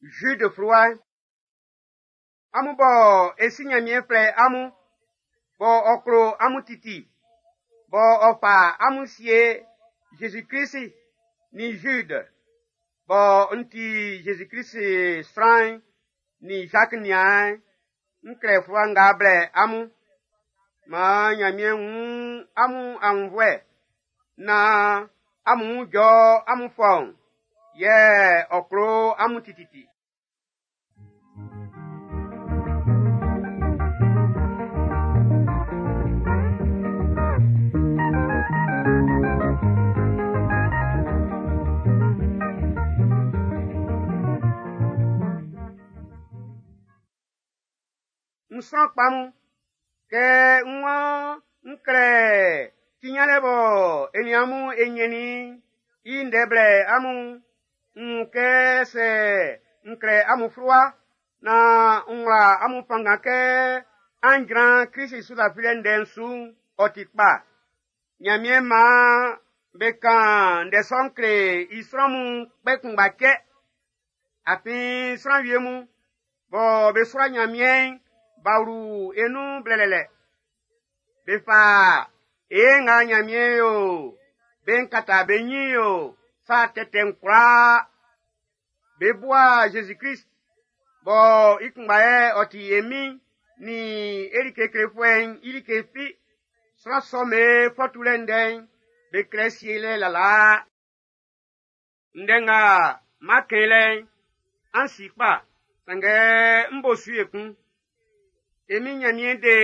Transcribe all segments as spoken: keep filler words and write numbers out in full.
Jude fluwa. Amun bɔ e si Nyanmiɛn flɛ amun, bɔ ɔ klo amun titi, bɔ ɔ fa amun sie Jésus-Christ ni Jude, bɔ n ti Jésus-Christ sran'n ni Jacques niaan'n, n klɛ fluwa nga blɛ amun. Maan Nyanmiɛn wun amun aunnvuɛ naan amun wun jɔ amun fɔun, yɛ ɔ klo amun tititi. N sran kpa mun, kɛ n waan n klɛ ti nyanlɛ bɔ e nin amun e nyɛnnin i ndɛ blɛ amun, n wun kɛ sɛ n klɛ amun fluwa naan n wla amun fanngan kɛ an jran Krist su lafilɛ ndɛ'n su'n, ɔ ti kpa. Nyanmiɛn maan be kan ndɛ sɔ'n kle i sran mun kpɛ kunngba cɛ. Afin sran wie mun bɔ be sua Nyanmiɛn'n b'a wlu e nun blɛlɛlɛ. Be fa e nga Nyanmiɛn yo, be nkata be nyin yo, sa tɛtɛ'n kwlaa. Be bua Jésus-Christ, bɔ i kunngba yɛ ɔ ti e Min ni e like klefuɛ'n i like fi. Sran sɔ'm be fɔtulɛ ndɛ'n, be klɛ sielɛ lalaa. Ndɛ nga ma kɛn lɛ'n, an si kpa, sanngɛ n bo su ekun. E Min Nyanmiɛn de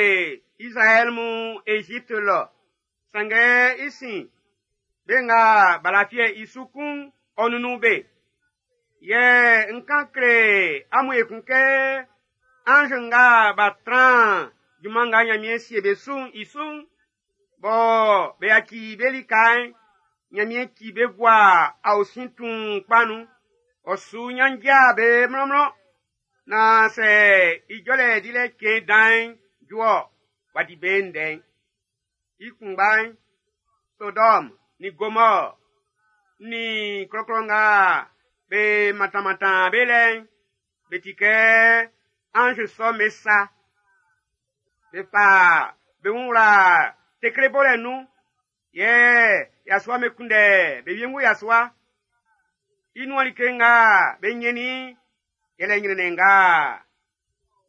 Israɛl mun Égypte lɔ, sanngɛ i sin, be nga b'a lafiɛ i su kun'n, ɔ nunnun be. Yɛ n kan kle amun ekun kɛ ange nga b'a tran junman nga Nyanmiɛn sie be su'n i su'n, bɔ be yaci be lika'n, Nyanmiɛn ci be gua aosin tuun kpa nun. Ɔ su nyanjia be mlɔnmlɔn. Na sɛ ijɔlɛ dilɛ cɛn dan'n ju-ɔ, w'a di be ndɛ'n. I kunngba'n, Sodɔm ni Gomɔr ni klɔklɔ nga be mantanmantan be lɛ'n, be ti kɛ ange sɔ'm be sa. Be fa be wun wla tekle bolɛ nun, yɛ yasua be kunndɛ be wiengu yasua. I nuan like nga be nyɛnnin yɛlɛ nyrɛnnɛn nga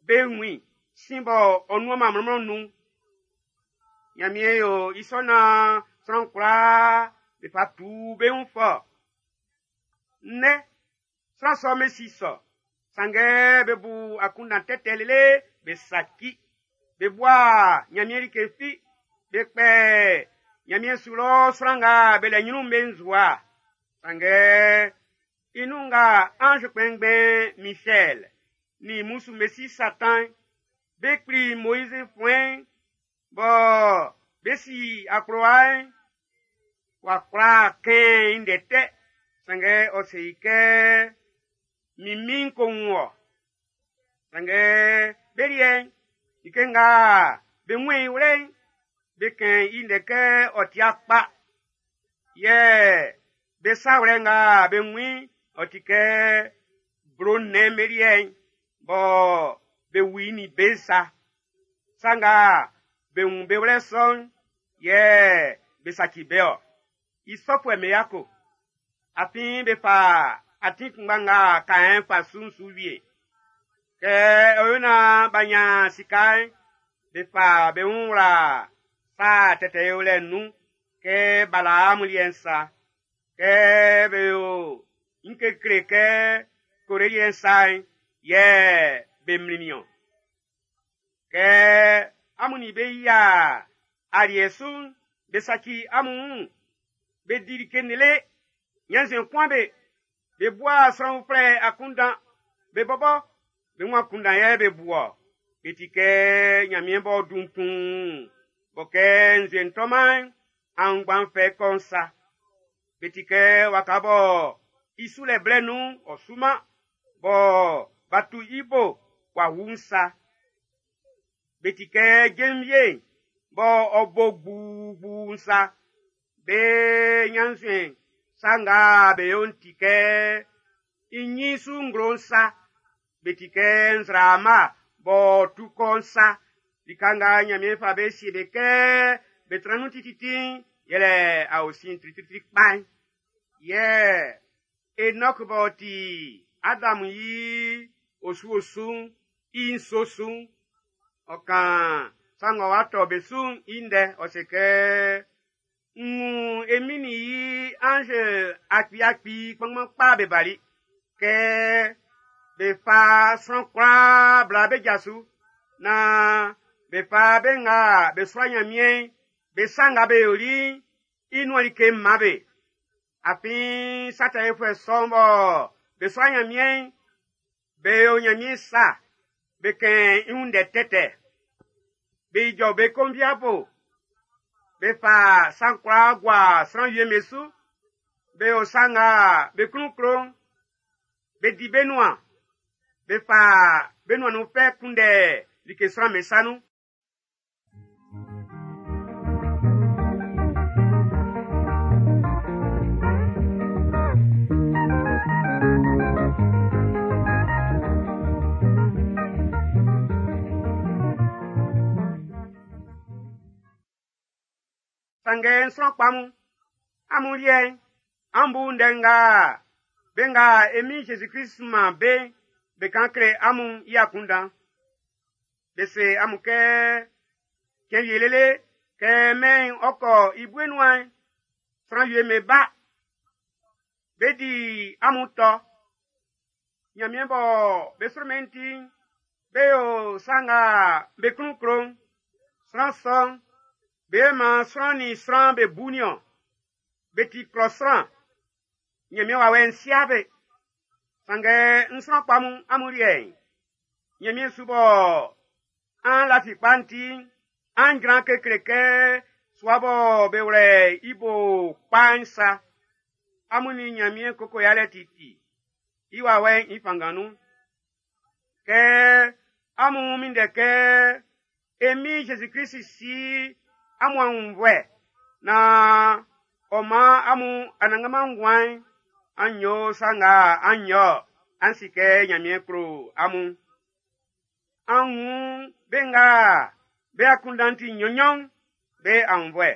be wun i sin bɔ ɔ nuan ma mlɔnmlɔn nun. Nyanmiɛn yo i sɔ naan sran kwlaa be fa tu be wun fɔ. Nnɛ, sran sɔ'm be si sɔ, sanngɛ be bu akunndan tɛtɛ lele be saci. Be bua Nyanmiɛn like fi, be kpɛ Nyanmiɛn su lɔ sran nga be lɛ nyrun'n be nzua. Sanngɛ i nun nga ange kpɛnngbɛn Michel ni musu Mesi Satan be kpli Moïse fuɛn bɔ be si akplowa'n, w'a kwla kɛn i ndɛ tɛ. Sanngɛ ɔ se i kɛ min min ko wun wɔ. Sanngɛ be liɛ'n, like nga be wun i wlɛ'n, be kɛn i ndɛ kɛ ɔ tia kpa. Yɛ be sawlɛ nga be wun i'n, ɔ ti kɛ blo nnɛn be liɛ'n, bɔ be wu i ni be sa. Sa nga be wun be wlɛ sɔ'n, yɛ be saci be-ɔ. I sɔfuɛ'm be yako. Afin be fa atin kunngba nga Kaɛn fa su'n su wie. Kɛ ɔ yo naan b'a nyan sika'n, be fa be wun wla sa tɛtɛ yolɛ'n nun kɛ Balaam liɛ'n sa. Kɛ be yo nkekle kɛ Kore liɛ'n sa'n, yɛ be mlinnin-ɔn. Kɛ amun nin be yia aliɛ su'n, be saci amun wun, be di like lele, nyanzɛn kuan be, be bua sran uflɛ akunndan, be bɔbɔ be wun akunndan yɛ be bu-ɔ. Be ti kɛ Nyanmiɛn b'ɔ dun tuun, bɔ kɛ nzue'n tɔman'n, aunngban fɛ kɔ'n sa. Be ti kɛ waka bɔ i sulɛ blɛ nun'n ɔ suman, bɔ b'a tu i bo w'a wu'n sa. Be ti kɛ jenvie'n bɔ ɔ bo gbuugbuu'n sa. Be nyanzuen sa nga be yo'n ti kɛ i ɲin su nglo'n sa. Be ti kɛ nzraama b'ɔ tu kɔ'n sa. Lika nga Ɲanmiɛn fa be sie be kɛ be tran nun tititi'n, yɛlɛ aosin tritritri kpa'n. Yɛ Enɔk b'ɔ ti Adam i osu-osu'n i nso su'n, ɔ kan sa ng'ɔ wa tɔ be su'n i ndɛ, ɔ se kɛ, n wun e Min'n i anz akpi-akpi kpanngban kpa be bali, kɛ be fa sran kwlaa bla be ja su, naan be fa be nga be sua Nyanmiɛn'n be sa nga be yoli'n i nuan like man be. Afin sa tɛ yofuɛ sɔ'n bɔ be sua Nyanmiɛn'n, be yo Nyanmiɛn sa, be kɛn i wun ndɛ tɛtɛ. Be ijɔ be konviabo, be fa sa'n kwlaa gua sran wie'm be su, be yo sa nga be klun klo'n, be di be nuan, be fa be nuan nun fɛ kunndɛ like sran'm be sa nun. Sanngɛ n sran kpa mun, amun liɛ'n, an bu ndɛ nga be nga e Min Jésus-Christ man be'n be kan kle amun i akunndan. Be se amun kɛ cɛn wie lele kɛ mɛn'n ɔ kɔ i bue nuan'n, sran wie'm be ba, be di amun tɔ. Nyanmiɛn bɔ be sro mɛn'n ti'n, be yo sa nga be klun klo'n. Sran sɔ'n, be man sran nin sran be bu niɔn. Be ti klɔ sran. Nyanmiɛn wawɛ'n sia be. Sanngɛ n sran kpa mun amun liɛ'n, Nyanmiɛn su bɔ an lafi kpa'n ti'n, an jran kekle kɛ sua bɔ be wlɛ i bo kpa'n sa. Amun nin Nyanmiɛn koko yalɛ titi, i wawɛ'n i fanngan nun. Kɛ amun minndɛ kɛ e Min Jésus-Christ si amun aunnvuɛ naan ɔ man amun anannganman nguan'n, an yo sa nga an yo an si kɛ Nyanmiɛn klo amun. An wun be nga be akunndan'n ti nnyɔn-nnyɔn'n be aunnvuɛ.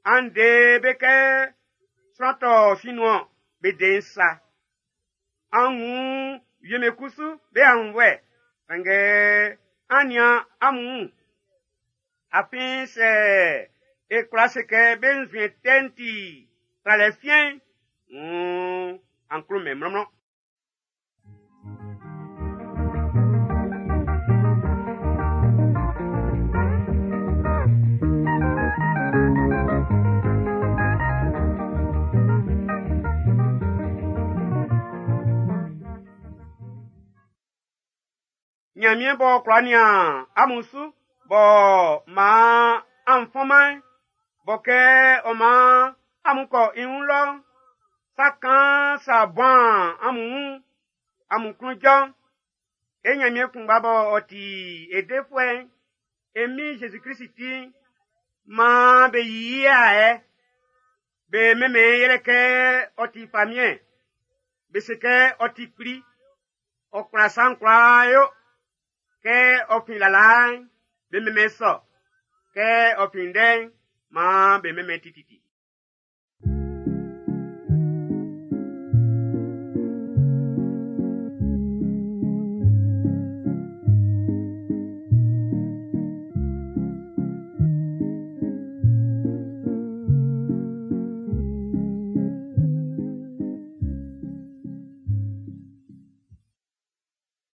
An de be kɛ sran tɔ sin nun-ɔn, be de'n sa. An wun wie'm be kusu be aunnvuɛ, sanngɛ an nian amun wun. Afin sɛ e kwla se kɛ be nzuɛn tɛ'n ti tralɛ fiɛn'n, wuun an klo mɛn mlɔnmlɔn. Nyanmiɛn b'ɔ kwla nian amun su, b'ɔ man an fɔnman'n, bɔ kɛ ɔ man amun kɔ i wun lɔ'n, sa kaan sa buan amun wun, amun klun jɔ'n, e Nyanmiɛn kunngba bɔ ɔ ti e defuɛ'n, e Min Jésus-Christ ti'n, maan be yi i ayɛ. Be mɛnmɛn yɛlɛ kɛ ɔ ti famiɛn, be se kɛ ɔ ti kpli, ɔ kwla sa'n kwlaa yo. Kɛ ɔ fin lalaa'n, be mɛnmɛn sɔ. Kɛ ɔ fin ndɛ'n, maan be mɛnmɛn tititi.